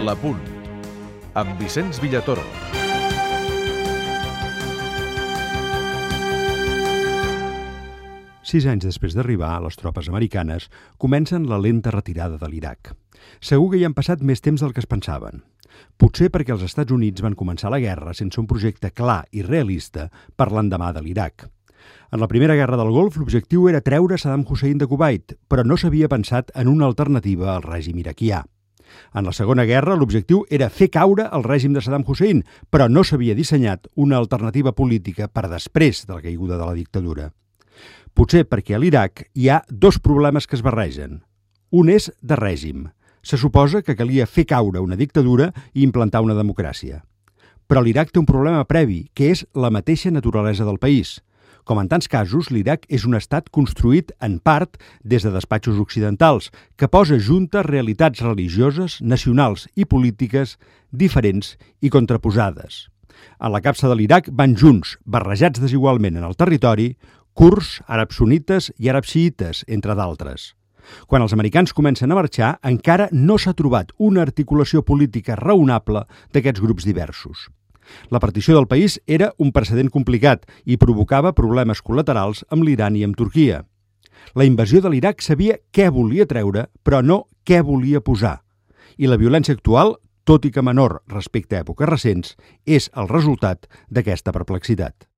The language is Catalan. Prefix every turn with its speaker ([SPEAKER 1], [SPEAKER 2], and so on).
[SPEAKER 1] L'Apunt, amb Vicenç Villatoro.
[SPEAKER 2] Sis anys després d'arribar, les tropes americanes comencen la lenta retirada de l'Iraq. Segur que hi han passat més temps del que es pensaven. Potser perquè els Estats Units van començar la guerra sense un projecte clar i realista per l'endemà de l'Iraq. En la primera guerra del Golf, l'objectiu era treure Saddam Hussein de Kuwait, però no s'havia pensat en una alternativa al règim iraquià. En la Segona Guerra, l'objectiu era fer caure el règim de Saddam Hussein, però no s'havia dissenyat una alternativa política per després de la caiguda de la dictadura. Potser perquè a l'Iraq hi ha dos problemes que es barregen. Un és de règim. Se suposa que calia fer caure una dictadura i implantar una democràcia. Però l'Iraq té un problema previ, que és la mateixa naturalesa del país. Com en tants casos, l'Iraq és un estat construït, en part, des de despatxos occidentals, que posa juntes realitats religioses, nacionals i polítiques diferents i contraposades. A la capsa de l'Iraq van junts, barrejats desigualment en el territori, kurds, àrabs sunnites i àrabs xiïtes, entre d'altres. Quan els americans comencen a marxar, encara no s'ha trobat una articulació política raonable d'aquests grups diversos. La partició del país era un precedent complicat i provocava problemes col·laterals amb l'Iran i amb Turquia. La invasió de l'Iraq sabia què volia treure, però no què volia posar. I la violència actual, tot i que menor respecte a èpoques recents, és el resultat d'aquesta perplexitat.